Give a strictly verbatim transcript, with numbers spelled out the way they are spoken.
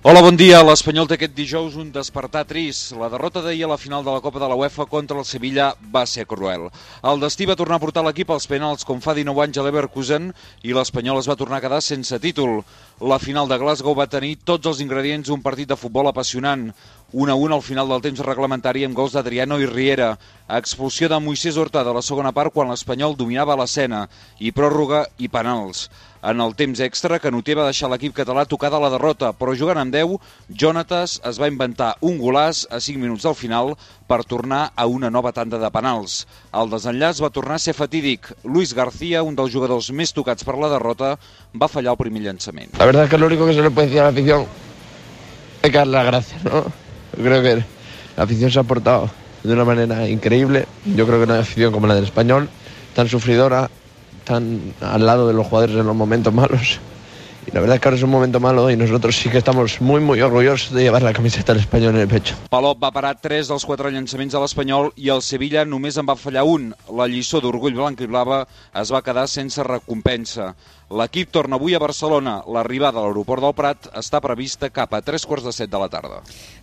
Hola, bon dia. L'Espanyol té aquest dijous un despertar trist. La derrota d'ahir a la final de la Copa de la UEFA contra el Sevilla va ser cruel. El destí va tornar a portar l'equip als penals com fa dinou anys a l'Leverkusen i l'Espanyol es va tornar a quedar sense títol. La final de Glasgow va tenir tots els ingredients d'un partit de futbol apassionant. un a un al final del temps reglamentari amb gols d'Adriano i Riera. Expulsió de Moisés Hurtado a la segona part quan l'Espanyol dominava l'escena i pròrroga i penals. En el temps extra, Canuter va deixar l'equip català tocada la derrota, però jugant amb deu, Jonatas es va inventar un golaç a cinc minuts del final per tornar a una nova tanda de penals. El desenllaç va tornar a ser fatídic. Luis García, un dels jugadors més tocats per la derrota, va fallar el primer llançament. La verdad es que lo único que se le puede decir a la afición es que dar las gracias, ¿no? Yo creo que la afición se ha portado de una manera increíble. Yo creo que no hay afición como la del Español, tan sufridora, tan al lado de los jugadores en los momentos malos. Y la verdad es que ahora es un momento malo y nosotros sí que estamos muy, muy orgullosos de llevar la camiseta del Español en el pecho. Palop va parar tres dels quatre llançaments de l'Espanyol i el Sevilla només en va fallar un. La lliçó d'orgull blanc i blava es va quedar sense recompensa. L'equip torna avui a Barcelona. L'arribada a l'aeroport del Prat està prevista cap a tres quarts de set de la tarda.